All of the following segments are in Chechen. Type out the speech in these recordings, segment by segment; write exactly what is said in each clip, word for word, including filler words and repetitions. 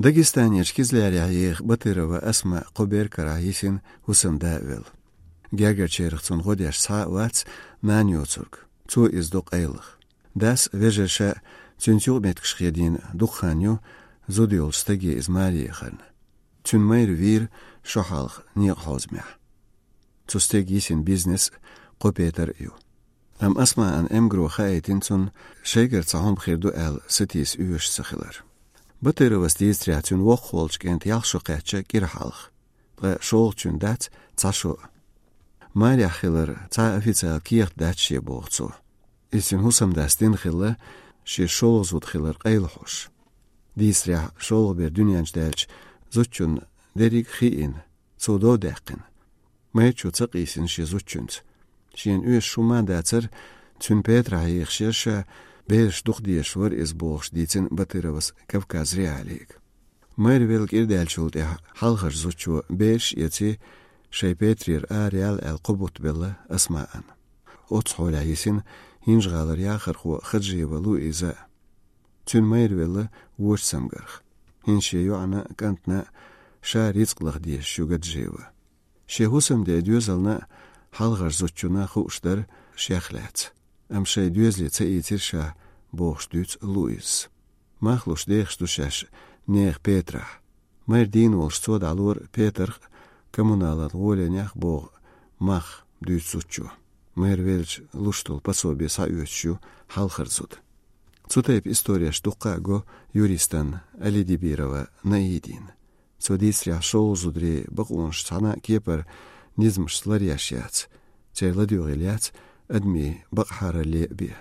Дагестанерчу Кизлярехь еха Батырова Асма кхо бер карахь йисина хӀусамда а велла. Гергарчарах цунна гӀо деш цхьа а вац нана йоцург. Цо иза до къайлаха. Дас, вежарша цуьнца юкъаметтигаш хедийна дукха хан ю, зуда йолчу стаге иза маре яхарна. Цуьнан майра вийра шо хьалха некъан хьозамехь. Цу стеган йисина бизнес а, кхо петар а ю. Амма Асмаъан эмгаро хаийтина цунна, шайгара цхьа хӀума хир ду аьлла, сатийса оьшуш ца хилар. Батыровас дийцарехь, цуьнан воккхахволчу кӀентан ялх шо кхаьчна кӀира хьалха, ткъа шолгӀачуьнан дац цхьа шо а. Марехь хилар цхьа а официалан кехат дац шен, боху цо. Иза цуьнан хӀусамдас дина хилла, шен шолгӀа зуда хилар къайлахьош. Дийцарехь, шолгӀа бер дуьнен чу даьлча, зудчунна дерриг а хиъна, цо дов даьккхина. Майрачо ца къийсина шен зудчуьнца. Шена оьшуш хӀума а дацара, цуьнан петарехь ехаш яра ша, бераш дукха дезаш вара иза, бохуш дийцина Батыровас Кавказ.Реалиига. Майра велла кӀира даьллачул тӀаьхьа хьалхарчу зудчо бераш а эций, шайн петарера араяла аьлла кхо бутт белла Асмаъан. Оццу хьолехь йисина ХӀинжа-ГӀалара яхархо Хаджиева Луиза. Цуьнан майра велла вочу цамгарх. ХӀинца шен йоӀана а, кӀантана а ша рицкъ лаха дезаш ю Гаджиева. Шен хӀусамден доьзална а, хьалхарчу зудчунна а хууш дара шех лаьцна. Амма шайн доьзале ца ийцира ша, бохуш дуьйцу Луизас. Мах луш дехаш ду шаьш нехан петарехь. Майра дийна волуш цо дӀалора петарх а, коммуналан гӀоленех а богӀу мах, дуьйцу зудчо. Майра велча луш долу пособи схьаоьцуш ю хьалхара зуда. Цу тайпа истореш дуккха а го юристана Алидибирова Наидина. Цо дийцарехь, шолгӀа зударийн бакъонаш цхьана а кепара низамашца ларъеш яц, церан ладоьгӀийла яц адамийн бакъахьаралле а бен.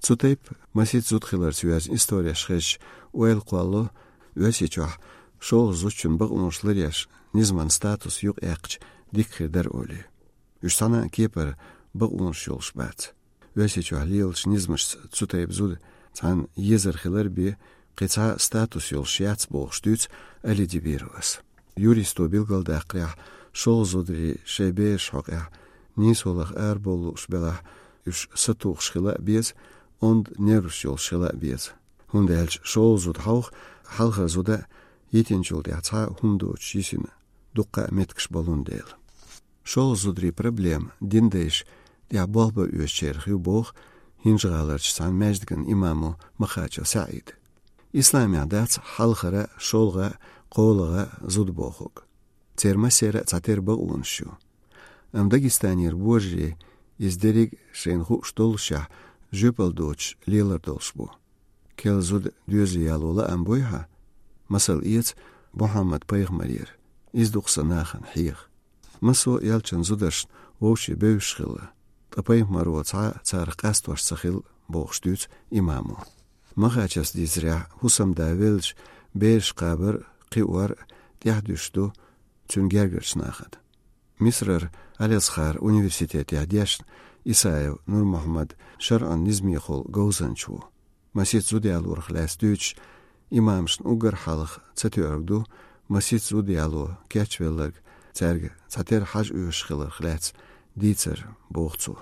Цу тайпа масийтта зуда хиларца йоьзна истореш хезча, ойла кхоллало Оьрсийчохь шолгӀа зудчун бакъонаш ларъеш низаман статус юкъаяьккхича дика хир дара олий. Уьш цхьана а кепара бакъонаш йолуш бац. Оьрсийчохь лелачу низамашца цу тайпа зуда цхьана езар хилар бен кхин цхьа а статус йолуш яц, бохуш дуьйцу Алидибировас. Юристо билгалдаккхарехь, шолгӀа зударий шайн бераш хьокъехь нийсо лаха арабовла лууш белахь, уьш сатухуш хила а беза, онда нерваш йолуш хила а беза. ХӀунда аьлча шолгӀа зуда хьовха, хьалхара зуда йитинчул тӀаьхьа цхьа а хӀума доцуш йисина дуккха а меттигаш болун дела. ШолгӀа зударийн проблема дин дайша тӀехь болх бан оьшучарах ю, боху ХӀинжа-ГӀаларчу цхьана маьждиган имамо Махачев СаӀида. Исламехь дац хьалхара, шолгӀа, кхоалгӀа зуда бохург. Церан массеран а цхьатерра бакъонаш ю. Амма Дагестанера божарий иза дерриг а шайна хууш доллушехь жоьпалла доцуш лелар долуш бу. Керла зуда доьзале яло лаам буй хьан? Масал эца Мухьаммад-пайхамарера: «Иза ду-кх сан нахана хьеха». Массо а элчанан зударшна вовшийн бевзаш хилла, ткъа пайхамаро цхьа а царах къастош ца хилла, бохуш дуьйцу имамо. Махачевс дийцарехь, хӀусамда веллачу бераш кхабар а, кхиор а тӀаьхьа дуьсуш ду цуьнан гергарчу нахана. Мисрара Аль-Азхар университетехь дешна Исаев Нурмухьаммад шарӀан низамехула говзанча ву. Масийтта зуда ялорах лаьцна дуьйцуш, имамашна уггар хьалха ца тоьарг ду масийтта зуда яло кечвелларг, цаьрга цхьатерра хьажа оьшуш хиларх лаьцна дийцар, боху цо.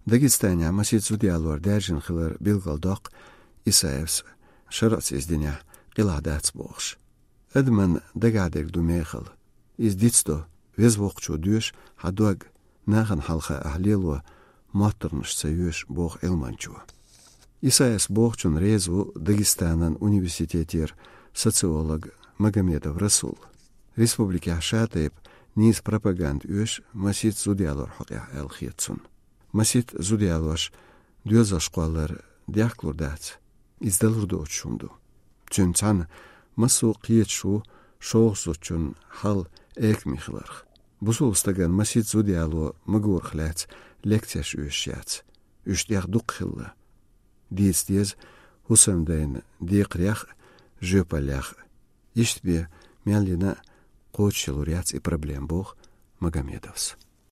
Дагестанехь масийтта зуда ялор даьржина хилар билгалдоккху Исаевс, шарӀаца иза динехь къилахь дац бохуш. Адаман дагахь дерг ду мехала. Иза дицдо, Веза Воккхачо доьшу хьан дог, нахана хьалха ахь лело моттаргӀанаш ца йоьшу, боху Ӏилманчо. Исаевс бохучунна реза ву Дагестанан университетера социолог Магомедов Расул. Республикехь шатайпа нийса пропаганда оьшу масийтта зуда ялор хьокъехь аьлла хета цунна. Масийтта зуда ялош доьзалш кхоллар дехкалур дац, иза далур доцуш хӀума ду. Цуьнца цхьаьна массо а кхеташ ву шолгӀа зудчун хьал экаме хиларх. Бусулба стагана масийтта зуда яло магорах лаьцна лекцеш оьшуш яц, уьш тӀех дукха хилла. Дийца деза хӀусамдайн декхарех а, жоьпаллех а. Иштта бен мел йина а кхочушъялур яц и проблема, боху Магомедовс.